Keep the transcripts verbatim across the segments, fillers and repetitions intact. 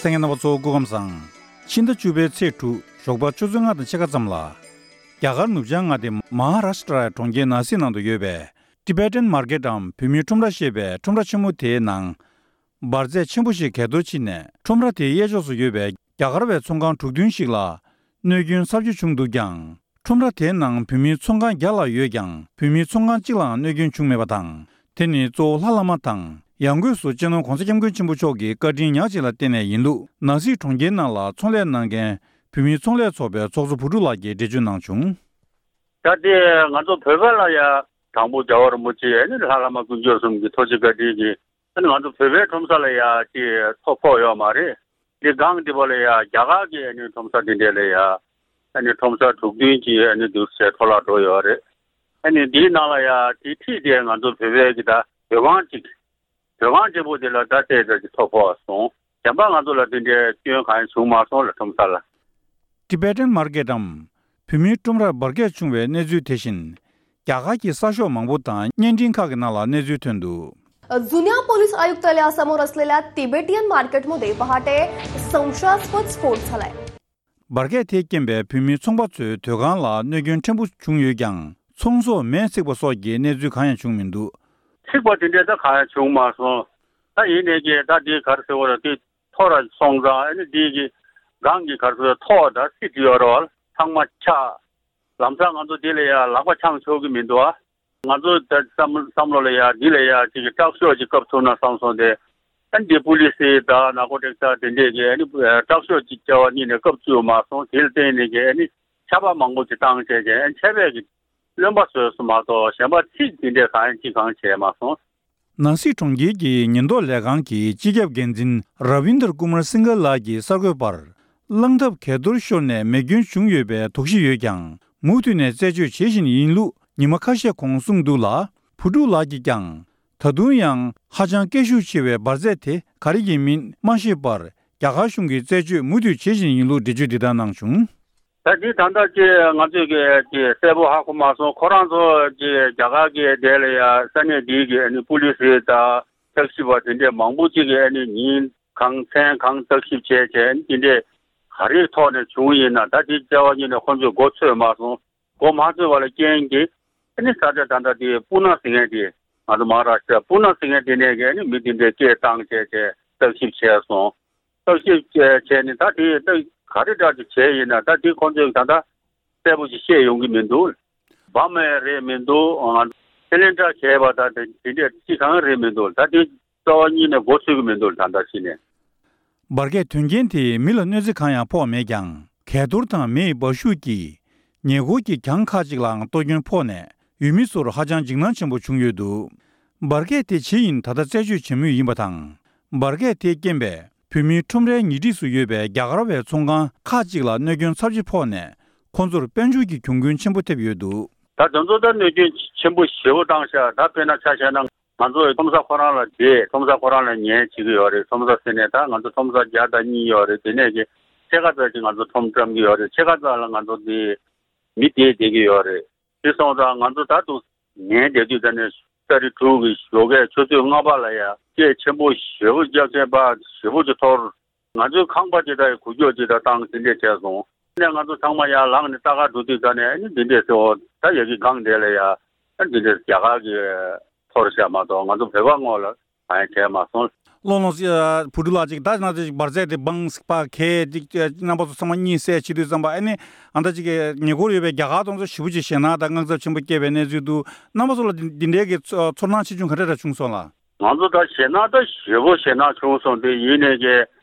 ལྷན་རྒྱས་རྣམ་པ་ཚོ་སྐུ་ཁམས་བཟང་། ཕྱི་ཟླ་བཅུ་པའི་ཚེས་དྲུག་ཞོགས་པ་ཆུ་ཚོད་ལྔ་དང་ཕྱེད་ཀ་ཙམ་ལ། རྒྱ་གར་ནུབ་བྱང་མངའ་སྡེ་མ་ཧཱ་རཱཤ་ཏྲ་གྲོང་ཁྱེར་ནཱ་སིག་ནང་དུ་ཡོད་པའི་Tibetan Marketའམ་བོད་མིའི་ཁྲོམ་ར་ཞེས་པའི་ཁྲོམ་ར་ཆེན་མོ་དེའི་ནང་། འབར་རྫས་ཆེན་པོ་ཞིག་གས་གཏོར་ཕྱིན་ནས་ཁྲོམ་ར་དེའི་གཡས་ཕྱོགས་སུ་ཡོད་པའི་རྒྱ་གར་བའི་ཚོང་ཁང་དྲུག་བདུན་ཞིག་ལ་གནོད་སྐྱོན་ཚབས་ཆེ་བྱུང་འདུག་ཀྱང་། ཁྲོམ་ར་དེའི་ནང་བོད་མིའི་ཚོང་ཁང་བརྒྱ་ལྷག་ཡོད་ཀྱང་། བོད་མིའི་ཚོང་ཁང་གཅིག་ལའང་གནོད་སྐྱོན་བྱུང་མེད་པ་དང་། དེ་ནི་གཙོ་བོ་ལྷ་བླ་མ་དང་། ཡང་སྒོས་སུ་སྤྱི་ནོར་༧གོང་ས་༧སྐྱབས་མགོན་ཆེན་པོ་མཆོག་གི་བཀའ་དྲིན་ཉག་གཅིག་ལ་བརྟེན་ནས་ཡིན་ལུགས། ནཱ་སིག་གྲོང་ཁྱེར་ནང་ལ་ཚོང་ལས་གནང་མཁན་བོད་མིའི་ཚོང་ལས་ཚོགས་པའི་ཚོགས་གཙོ་བུ་ཕྲུག་ལགས་ཀྱིས་འགྲེལ་བརྗོད་གནང་བྱུང་། ད་དེ་ང་ཚོ་བོད་པ་ལ་ཡ་དང་པོ་རྒྱལ་བ་རིན་པོ་ཆེ་ནི་ལྷ་བླ་མ་དཀོན་མཆོག་གསུམ་གྱི་ཐུགས་རྗེ་བཀའ་དྲིན་གྱིས། ཨ་ནི་ང་ཚོ་བོད་པའི་ཁྲོམ་ས་ལ་ཡ་ཅིག་ཐོ་ཕོག་ཡོད་མ་རེད། འདི་སྒང་འདི་པ་ལ་ཡ་རྒྱ་གར་གྱི་ཨ་ནི་ཁྲོམ་ས་འདི་འདྲས་ལ་ཡ་ཨ་ནི་ཁྲོམ་ས་དྲུག་བདུན་གྱི་ཨ་ནི་འདུག་སེ་འཕྲོ་བརླག་འགྲོ་ཡོད་རེད། ཨ་ནི་འདིའི་ནང་ལ་ཡ་དེ་ཁྲིད་དེ་ང་ཚོ་བོད་པའི་གི་ད་བོད་ཁང་གཅིག་བོད་ཁང་གཅིག་པོ་དེ་ལ་ད་ལྟའི་ད་ཅིག་ཐོ་ཕོག་སོང་། གཞན་པ་ང་ཚོ་ལ་འདི་འདྲའི་སྐྱོན་གང་ཡང་བྱུང་མ་སོང་ལ་ཁྲོམ་ས་ལ། Tibetan Marketའམ་བོད་མིའི་ཁྲོམ་རར་འབར་གས་བྱུང་བའི་གནས་ཚུལ་དེ་བཞིན། རྒྱ་གར་གྱི་གསར་ཤོག་མང་པོ་དང་བརྙན་འཕྲིན་ཁག་གི་ནང་ལ་གནས་ཚུལ་ཐོན་འདུག། जुन्या पोलीस आयुक्तालयासमोर असलेल्या तिबेटियन मार्केटमध्ये पहाटे संशयास्पद स्फोट झालाय. འབར་གས་དེས་རྐྱེན་པས་བོད་མིའི་ཚོང་པ་ཚོའི་ཟྡོས་ཁང་ལ་གནོད་སྐྱོན་ཕྲན་བུ་བྱུང་ཡོད་ཀྱང་། ཚོང་ཟོག་མེ་འཚིག་པ་སོགས་ཀྱི་གནས་ཚུལ་གང་ཡང་བྱུང་མི་འདུག། འཚིག་པ་དེ་འདྲས་ད་གང་ཡང་བྱུང་མ་སོང་། ད་ཡིན་ནའི་ཀྱི་ད་དེ་ག་རེ་ཟེར་བ་རེད། དེ་ཐོ་ར་སོང་ཙང་ཨ་ནི་དེ་གི་སྒང་གི་ག་རེ་ཟེར་ཐོག་ད་སི་ཏི་ཡོད་རེད་བ། ཚང་མ་ཆག། ལམ་སང་ང་ཚོ་དེ་ལ་ཡ་ལག་པ་འཆང་ཆོག་གི་མི་འདུག་ཨ། ང་ཚོ་ད་བསམ་བསམ་བློ་ལ་ཡ་འདི་ལ་ཡ་ཅིག་གི་དྲག་ཤོས་ཅིག་བཀབ་ཐུབ་ན་བསམ་སོང་སྟེ། ཨ་ནི་པུ་ལི་སི་དང་ནཱར་ཀོ་ཊིག་ས་དེ་འདྲས་ཀྱི་ཨ་ནི་དྲག་ཤོས་ཅིག་བྱ་བ་གཉིས་ནས་བཀབ་བཅུག་མ་སོང་། དེ་ལ་བརྟེན་ནས་ཀྱི་ཨ་ནི་ཆར་པ་མང་པོ་ཅིག་བཏང་བྱས་ཀྱི་ཨ་ནི་ཆར་པས་ཀྱི་རློན་པ་བཟོས་སོང་མ་གཏོགས་གཞན་པ་འཚིག་དེ་འདྲས་གང་ཡང་ཅིག་གང་བྱས་མ་སོང་། ནཱ་སིག་གྲོང་ཁྱེར་གྱི་ཉེན་རྟོག་ལས་ཁང་གི་སྤྱི་ཁྱབ་འགན་འཛིན་ར་བིན་དར་ཀུ་མར་སིང་གལ་ལགས་ཀྱིས་གསར་འགོད་པར། གླང་ཐབས་གས་གཏོར་ཤོར་ནས་མེ་སྐྱོན་བྱུང་ཡོད་པའི་དོགས་གཞི་ཡོད་ཀྱང་། མུ་མཐུད་ནས་རྩད་གཅོད་བྱེད་བཞིན་ཡིན་ལུགས་ཉི་མ་ཁ་ཤས་གོང་གསུངས་འདུག་ལ། བུ་ཕྲུག་ལགས་ཀྱིས་ཀྱང་། ད་དུང་ཡང་ཧ་ཅང་སྐད་ཤུགས་ཆེ་བའི་འབར་རྫས་དེ་ག་རེ་ཡིན་མིན་མ་ཤེས་པར། རྒྱ་གར་གཞུང་གིས་རྩད་གཅོད་མུ་མཐུད་བྱེད་བཞིན་ཡིན་ལུགས་འགྲེལ་བརྗོད་འདི་ལྟར་གནང་བྱུང་། ད་འདི་ད་ལྟ་ཅི་ང་ཚོས་ཀྱི་ཅི་གསལ་པོ་ཧ་གོ་མ་སོང་། ཁོ་རང་ཚོ་ཅི་རྒྱ་གར་གྱི་དེ་ལ་ཡ་ས་གནས་འདིའི་གི་ཨ་ནི་པུ་ལི་སི་དང་བརྟག་ཞིབ་པ་དེ་འདྲས་མང་པོ་ཅིག་གི་ཨ་ནི་ཉིན་གང་མཚན་གང་བརྟག་ཞིབ་བྱས་བྱས་ཨ་ནི་དེ་འདྲས་ག་རེའི་ཐོག་ནས་བྱུང་ཡིན་ན། ད་དེ་བྱ་བ་གཉིས་ནས་ཁོ་ཚོས་མགོ་ཚོས་མ་སོང་། མགོ་མ་ཚོས་པ་ལ་རྐྱེན་གྱིས་ཨ་ནི་ས་ཆ་ད་ལྟ་དེ་པུ་ན་ཟེར་མཁན་དེ་ང་ཚོ་མ་ཧཱ་རཱཤ་ཏྲ་པུ་ན་ཟེར་མཁན་དེ་ནས་ཀྱི་ཨ་ནི་མི་དེ་འདྲས་སྐད་བཏང་བྱས་བྱས་བརྟག་ཞིབ་བྱས་སོང་། བརྟག་ཞིབ་བྱས་ནས་ད་དེ་ད་ག་རེ་འདྲ་ཅིག་བྱས་ཡིན་ན། ད་དེ་ཁོང་ཚོས་ད་ལྟ་གསལ་པོ་ཞིག་བཤད་ཡོང་གི་མི་འདུག། བམ་ཡང་རེད་མི་འདུག། ཨ། སི་ལིན་ཌར་བྱས་པ་ད་དེ་དེ་འདྲས་ཅི་གང་རེད་མི་འདུག། ད་དེ་རྩ་བ་ཉིད་ནས་མགོ་ཚོས་གི་མི་འདུག། ད་ལྟ་ཕྱི་ནས། འབར་གས་དོན་རྐྱེན་དེས་མི་ལ་གནོད་འཚེ་གང་ཡང་ཕོག་མེད་ཀྱང་། གས་གཏོར་དང་མེ་ཡི་འབར་ཤུགས་ཀྱིས་ཉེ་འཁོར་གྱི་གྱང་ཁག་ཅིག་ལའང་གཏོར་སྐྱོན་ཕོག་ནས། ཡུལ་མི་ཚོར་ཧ་ཅང་འཇིགས་སྣང་ཆེན་པོ་བྱུང་ཡོད་འདུག། འབར་གས་དེ་ཇི་ཡིན་ད་ལྟ་རྩད་གཅོད་བྱེད་མུས་ཡིན་པ་དང་། འབར་གས་དེའི་རྐྱེན་པས་བོད་མིའི་ཁྲོམ་རའི་ཉེ་འཁྲིས་སུ་ཡོད་པའི་རྒྱ་གར་བའི་ཚོང་ཁང་ཁག་ཅིག་ལ་གནོད་སྐྱོན་ཚབས་ཆེ་ཕོག་ནས། ཁོང་ཚོར་དཔལ་འབྱོར་གྱི་གྱོང་གུན་ཆེན་པོ་ཐེབས་ཡོད་འདུག། ད་དེ་ཚོ་ད་གནོད་སྐྱོན་ཆེན་པོ་ཞེ་པོ་བཏང་ཤག། ད་དཔེར་ན་ཆ་བཞག་ན་ང་ཚོ་ཁྲོམ་ས་ཁོ་རང་ལ་བསྡད། ཁྲོམ་ས་ཁོ་རང་ལ་ཉལ་བྱེད་ཀྱི་ཡོད་རེད། ཁྲོམ་ས་ཟེར་ནས་ད་ང་ཚོ་ཁྲོམ་ས་བརྒྱ་དང་གཉིས་ཡོད་རེད། དེ་ནས་ཀྱི་ཕྱེད་ཀ་ཙམ་ཅིག་ང་ཚོ་ཁྲོམ་བཀྲམ་གྱི་ཡོད་རེད། ཕྱེད་ཀ་ཙམ་ལ་ང་ཚོ་འདི་མི་བསྡད་བསྡད་ཀྱི་ཡོད་རེད། དེ་སོང་ཙང་ང་ཚོ་ད་དུང་ཉལ་བསྡད་དུས་ད་ནས་ཏ་རིག་དྲུག་གི་ཞོགས་ཀས་ཆུ་ཚོད་ལྔ་པ་ལ་ཡ་སྐད་ཆེན་པོ་ཞེ་པོ་རྒྱབ་བྱས་པ་ཞེ་པོ་ཅིག་འཐོར། ང་ཚོའི་ཁང་པ་ཅིག་ད་ཡ་འགུལ་སྐྱོད་ཅིག་ད་བཏང་དེ་འདྲས་བྱས་སོང་། ནས་ང་ཚོ་ཚང་མ་ཡར་ལངས་ནས་ལྟ་ག་འགྲོ་དུས་ད་ནས་ཨ་ནི་འདི་འདྲས་ཟེར་འོ་ད་ཡ་གི་སྒང་དེ་ལ་ཡ་ཨ་འདི་འདྲས་རྒྱ་གར་གྱི་འཐོར་ཤག་མ་གཏོགས་ང་ཚོ་བོད་པ་ངོ་ལ་གང་ཡང་བྱས་མ་སོང་། ལོ་ལོ་སི་ཨ་བུ་ཕྲུག་ལགས་ཅིག་ད་ང་ཚོ་འབར་རྫས་དེ་སྦང་སི་པ་གས་ཅིག་རྣམ་པ་ཚོ་ཚང་མ་གཉིད་སད་བྱེད་དུས་ཙམ་པ་ཨ་ནི་ཨ་ད་ཅིག་ཉེ་འཁོར་ཡོད་པའི་རྒྱ་གར་དང་ཚོ་ཞེ་པོ་ཅིག་ཞེད་སྣང་དང་དངངས་འཚབ་ཆེན་པོ་སྐྱེས་པའི་གནས་ཚུལ་འདུག། རྣམ་པ་ཚོ་ལ་འདི་འདི་འདྲའི་གི་ཚོར་སྣང་ཆེ་ཆུང་ག་འདྲ་འདྲ་བྱུང་སོང་ལགས། ང་ཚོ་ད་ཞེད་སྣང་ད་ཞེ་པོ་ཞེད་སྣང་བྱུང་སོང་། དེ་ཡིན་ནས་ཀྱི་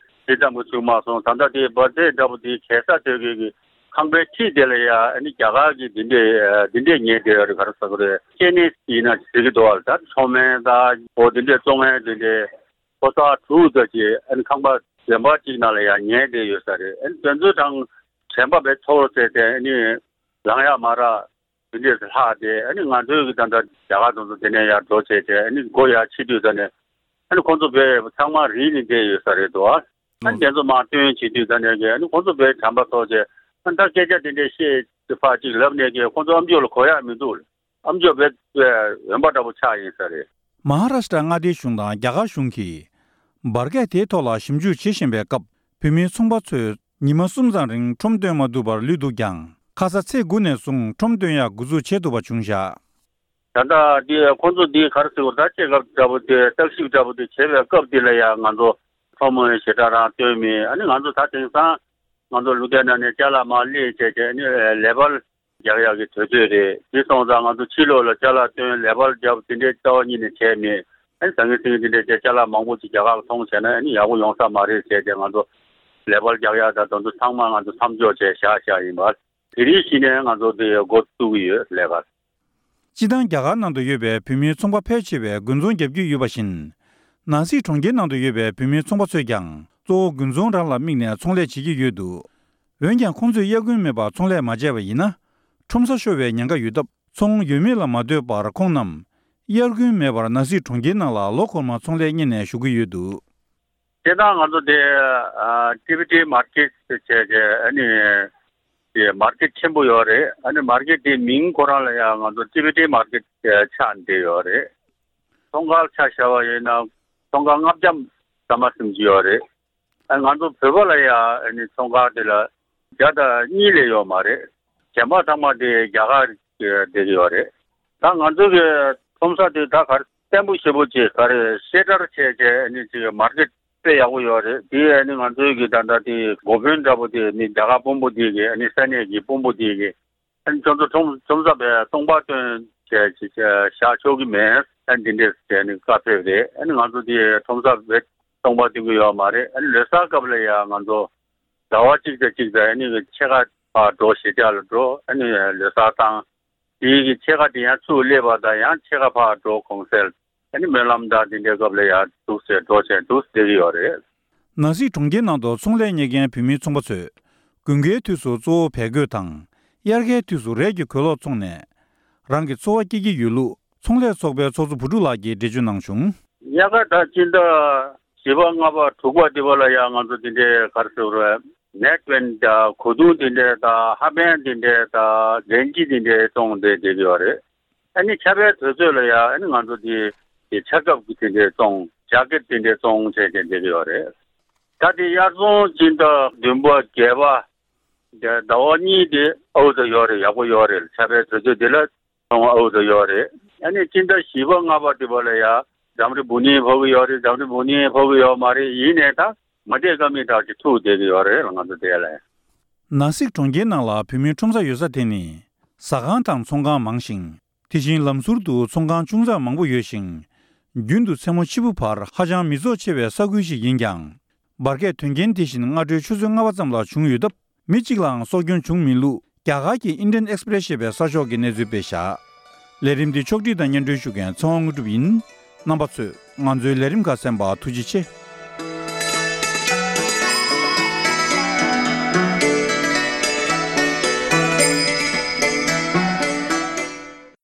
དེ་ཙམ་གྱི་བྱུང་མ་སོང་། ད་ལྟ་དེ་འབར་རྫས་འདྲ་པོ་དེ་གས་ས་དེ་གི་གི་ཁང་པའི་འཁྲིས་དེ་ལ་ཡ་ཨ་ནི་རྒྱ་གར་གྱི་འདི་འདྲས་འདི་འདྲས་ཉལ་བསྡད་ཡོད་རེད། ག་རེ་ཟ་གི་རེད། ཅེ་ནི་ཡིན་ན་ཟེར་གི་འདུག་ཨ། ད་མཚོ་སྨན་ད་འོ་འདི་འདྲས་བཙོང་མཁན་འདི་འདྲས་ཕོ་གསར་དྲུག་ཙམ་ཅིག་ཨ་ནི་ཁང་པ་གཞན་པ་ཅིག་ནང་ལ་ཡ་ཉལ་བསྡད་ཡོད་ས་རེད། ཨ་ནི་དེ་ཚོའི་གྲངས་དྲན་པ་བས་ཐོར་ཟེར་ཏེ་ཨ་ནི་ལངས་ཡག་མ་རག། དེ་འདྲས་ལྷག་སྟེ་ཨ་ནི་ང་ཚོའི་གི་ད་ལྟ་རྒྱ་གར་དང་ཚོ་དེ་ནས་ཡར་འགྲོ་བྱས་ཏེ་ཨ་ནི་སྒོ་ཡར་ཕྱེ་དུས་ད་ནས་ཨ་ནི་ཁོང་ཚོ་བས་ཚང་མ་རིལ་ནས་བསྡད་ཡོད་ས་རེད་འདུག་ཨ། ཨ་ནི་དེ་ཚོ་མར་བཏོན་བྱེད་དུས་ད་ནས་ཀྱི་ཨ་ནི་ཁོང་ཚོ་བས་དྲན་པ་ཐོར་བྱས་ཨ་ནི་ད་སྐད་ཆ་དེ་འདྲས་བཤད་ཕར་ཅིག་ལབ་ནས་ཀྱི་ཁོང་ཚོ་ཨམ་ཅོག་ལ་གོ་ཡག་མི་འདུག། ཨམ་ཅོག་བས་འོན་པ་འདྲ་པོ་ཆགས་ཡིན་ས་རེད། མ་ཧཱ་རཱཤ་ཏྲ་མངའ་སྡེའི་གཞུང་དང་རྒྱ་གར་གཞུང་གིས་འབར་གས་དེའི་ཐོག་ལ་ཞིབ་འཇུག་བྱེད་བཞིན་པའི་སྐབས། བོད་མིའི་ཚོང་པ་ཚོས་ཉི་མ་གསུམ་ཙམ་རིང་ཁྲོམ་སྟོན་མ་ཐུབ་པར་ལུས་འདུག་ཀྱང་། ཁ་ས་ཚེས་དགུ་ནས་བཟུང་ཁྲོམ་སྟོན་ཡག་འགོ་འཛུགས་བྱེད་ཐུབ་པ་བྱུང་བཞག། ད་ལྟ་འདི་ཁོང་ཚོ་འདི་ག་རེ་ཟེར་དགོས་རེད། ད་སྐྱེད་ཀ་འདྲ་པོ་དེ་བརྟག་ཞིབ་འདྲ་པོ་དེ་བྱེད་པའི་སྐབས་འདི་ལ་ཡང་ང་ཚོ་ཁྲོམ་ཞེ་དྲག་རང་སྟོན་མེད། ཨ་ནི་ང་ཚོ་ད་དེང་སང་ང་ཚོ་ལུང་བསྟན་ནང་ནས་ཅ་ལག་མར་སླེབས་བྱས་བྱས་ཨ་ནི་ལེ་བལ་རྒྱག་ཡག་གི་དུས་ཚོད་རེད། དེ་སོང་ཙང་ང་ཚོ་ཕྱི་ལོགས་ལ་ཅ་ལག་སྟོན་ལེ་བལ་རྒྱབ་དེ་འདྲའི་རྩ་བ་ཉིད་ནས་བྱས་མེད། ཨ་ནི་ཟང་ངེ་ཟིང་ངེ་དེ་འདྲའི་ཅ་ལག་མང་པོ་ཅིག་རྒྱ་གར་ལ་ཐོངས་བྱས་ན་ཨ་ནི་ཡག་པོ་ཡོང་ས་མ་རེད་བྱས་བྱས་ང་ཚོ་ལེ་བལ་རྒྱག་ཡག་དང་དེ་ཚོ་ཚང་མ་ང་ཚོ་མཚམས་འཇོག་བྱས་བཞག་བཞག་ཡིན་པ། དེ་རིང་གཞི་ནས་ང་ཚོ་དེ་འགོ་བཙུགས་ཀྱི་ཡོད་ལས་ཀ། སྤྱི་བཏང་རྒྱ་གར་ནང་དུ་ཡོད་པའི་བོད་མིའི་ཚོང་པ་ཕལ་ཆེ་བས་དགུན་ཚོང་བརྒྱབ་ཀྱི་ཡོད་པ་བཞིན། ནང་སྲིད་གྲོང་ཁྱེར་ནང་དུ་ཡོད་པའི་བོད་མིའི་ཚོང་པ་ཚོས་ཀྱང་གཙོ་བོ་དགུན་ཚོང་རང་ལ་དམིགས་ནས་ཚོང་ལས་བྱེད་ཀྱི་ཡོད་འདུག། འོན་ཀྱང་ཁོང་ཚོས་དབྱར་དགུན་མེད་པར་ཚོང་ལས་མ་བྱས་པ་ཡིན་ན། ཁྲོམ་ས་ཤོར་བའི་ཉེན་ཁ་ཡོད་སྟབས་ཚོང་ཡོད་མེད་ལ་མ་ལྟོས་པར་ཁོང་རྣམས་དབྱར་དགུན་མེད་པར་ནང་སྲིད་གྲོང་ཁྱེར་ནང་ལ་ལོ་འཁོར་མ་ཚོང་ལས་གཉེར་ནས་བཞུགས་ཀྱི་ཡོད་འདུག། སྤྱིར་བཏང་ང་ཚོ་དེ་ཨ་ཊི་བི་ཊི་མར་ཀེཊ་ཟེར་བྱས་ཨ་ནི་དེ་མར་ཀེཊ་ཆེན་པོ་ཡོད་རེད། ཨ་ནི་མར་ཀེཊ་དེ་མིང་ཁོ་རང་ལ་ཡང་ང་ཚོ་ཊི་བི་ཊི་མར་ཀེཊ་ཆགས་བསྡད་ཡོད་རེད། ཚོང་ཁང་ཆ་བཞག་པ་ཡིན་ན་ཚོང་ཁང་ལྔ་བརྒྱ་ཙམ་མ་ཟིན་གྱི་ཡོད་རེད། ཨ་ང་ཚོ་བོད་པ་ལ་ཡང་ཨ་ནི་ཚོང་ཁང་དེ་ལ་བརྒྱ་དང་གཉིས་ལས་ཡོད་མ་རེད། གཞན་པ་ཚང་མ་དེ་རྒྱ་གར་བསྡད་ཀྱི་ཡོད་རེད། ད་ང་ཚོ་གི་ཁྲོམ་ས་དེ་ད་ག་རེ་བརྟན་པོ་ཞེ་པོ་ཅིག་ག་རེ་ཤེལ་ཊར་བྱས་བྱས་ཨ་ནི་ཅིག་མར་ཀེཊ་དཔེ་ཡག་པོ་ཡོད་རེད། དེ་ཨ་ནི་ང་ཚོའི་གི་ད་ལྟ་དེ་འགོ་དཔོན་འདྲ་པོ་དེ་ནི་རྒྱ་གར་དཔོན་པོ་དེ་གི་ཨ་ནི་ས་གནས་ཀྱི་དཔོན་པོ་དེ་གི་ཨ་ནི་ཁྱོད་ཚོ་ཁྲོམ་ཁྲོམ་ས་པའི་སྟོང་པ་སྟོན་བྱས་བྱས་བཞག་ཆོག་གི་མེད། ཨ་ནི་འདི་འདྲས་བྱས་ནས་བཀའ་ཕེབས་རེད། ཨ་ནི་ང་ཚོ་དེ་ཁྲོམ་ས་པའི་སྟོང་པ་སྟོན་གི་ཡོད་མ་རེད། ཨ་ནི་ལོ་གསར་སྐབས་ལ་ཡང་ང་ཚོ་ཟླ་བ་གཅིག་དང་གཅིག་དང་ཨ་ནི་ཕྱེད་ཀ་ཕར་འགྲོ་གཞིས་ཆགས་ལ་འགྲོ། ཨ་ནི་ལོ་གསར་བཏང་། དེའི་གི་ཕྱེད་ཀ་དེ་ཡང་ཚུར་སླེབས་པ་དང་ཡང་ཕྱེད་ཀ་ཕར་འགྲོ་གུང་སེང་། ཨ་ནི་སྨོན་ལམ་དང་དེ་འདྲའི་སྐབས་ལ་ཡང་འདུག་སེ་འགྲོ་བྱས་འདུག་སེ་བསྡད་ཀྱི་ཡོད་རེད། ནང་སྲིད་གྲོང་ཁྱེར་ནང་དུ་ཚོང་ལས་གཉེར་མཁན་བོད་མིའི་ཚོང་པ་ཚོས་དགུན་ཁའི་དུས་སུ་གཙོ་བོ་བལ་གོས་དང་དབྱར་ཁའི་དུས་སུ་རས་ཀྱི་གོས་ལོག་འཚོང་ནས་རང་གི་འཚོ་བ་སྐྱེལ་གྱི་ཡོད་ལུགས་ཚོང་ལས་ཚོགས་པའི་ཚོགས་གཙོ་བུ་ཕྲུག་ལགས་ཀྱིས་འགྲེལ་བརྗོད་གནང་བྱུང་། དབྱར་ཁ་དང་སྤྱི་ཟླ་བཞི་པ་ལྔ་པ་དྲུག་པ་དེ་བ་ལ་ཡང་ང་ཚོ་དེ་འདྲའི་ག་རེ་ཟེར་དགོས་རེད། ནེག་བེན་དང་གོས་ཐུང་དེ་འདྲས་དང་ཧབ་བེན་དེ་འདྲས་དང་གན་ཇི་དེ་འདྲས་བཙོང་སྟེ་བསྡད་ཀྱི་ཡོད་རེད། ཨ་ནི་ཆར་པའི་དུས་ཚོད་ལ་ཡང་ཨ་ནི་ང་ཚོ་དེ་དེ་ཆར་ཁབ་ཀྱི་དེ་འདྲས་བཙོང་ཇེ་ཀེད་དེ་འདྲས་བཙོང་བྱས་བྱས་བསྡད་ཀྱི་ཡོད་རེད། ད་དེ་དབྱར་ཚོང་སྤྱི་ཟླ་བདུན་པ་བརྒྱད་པ་དེ་ཟླ་བ་གཉིས་དེ་ཨའུ་ཚོ་ཡོད་རེད། ཡག་པོ་ཡོད་རེད། ཆར་པའི་དུས་ཚོད་དེ་ལ་ཚོང་ཨའུ་ཚོ་ཡོད་རེད། ཨ་ནི་སྤྱི་ཟླ་བཞི་པ་ལྔ་པ་དེ་བ་ལ་ཡང་འཛམ་རི་བུ་ནི་ཕོག་གི་ཡོད་རེད། འཛམ་རི་བུ་ནི་ཕོག་གི་ཡོད་མ་རེད། ཡིན་ནའི་ད། མ་བསྡད་ཀ་མི་དག་ཅིག་ཐུག་བསྡད་ཀྱི་ཡོད་རེད་ལ་ང་ཚོ་དེ་ལ། ནང་སྲིད་གྲོང་ཁྱེར་ནང་ལ་བོད་མིའི་ཁྲོམ་ས་ཡོད་ས་དེ་ནི་ཟ་ཁང་དང་ཚོང་ཁང་མང་ཞིང་། དེ་བཞིན་ལམ་ཟུར་དུ་ཚོང་ཁང་ཅུང་ཙག་མང་པོ་ཡོད་ཞིང་། རྒྱུན་དུ་མཚན་མོ་ཕྱི་པོ་བར་ཧ་ཅང་མི་ཚོགས་ཆེ་བའི་ས་ཁུལ་ཞིག་ཡིན་ཀྱང་། འབར་གས་དོན་རྐྱེན་དེ་བཞིན་སྔ་དྲོའི་ཆུ་ཚོད་ལྔ་པ་ཙམ་ལ་བྱུང་ཡོད་སྟབས། མི་གཅིག་ལའང་སྲོག་སྐྱོན་བྱུང་མེད་ལུགས་རྒྱ་གར་གྱི་Indian Express ཞེས་པའི་གསར་ཤོག་གིས་གནས་ཚུལ་སྤེལ་བཞག། ལས་རིམ་འདི་ཕྱོགས་སྒྲིག་དང་སྙན་སྒྲོན་ཞུ་མཁན་ཚེ་དབང་དངོས་གྲུབ་ཡིན། རྣམ་པ་ཚོས་ང་ཚོའི་ལས་རིམ་ཁག་གསན་པར་ཐུགས་རྗེ་ཆེ།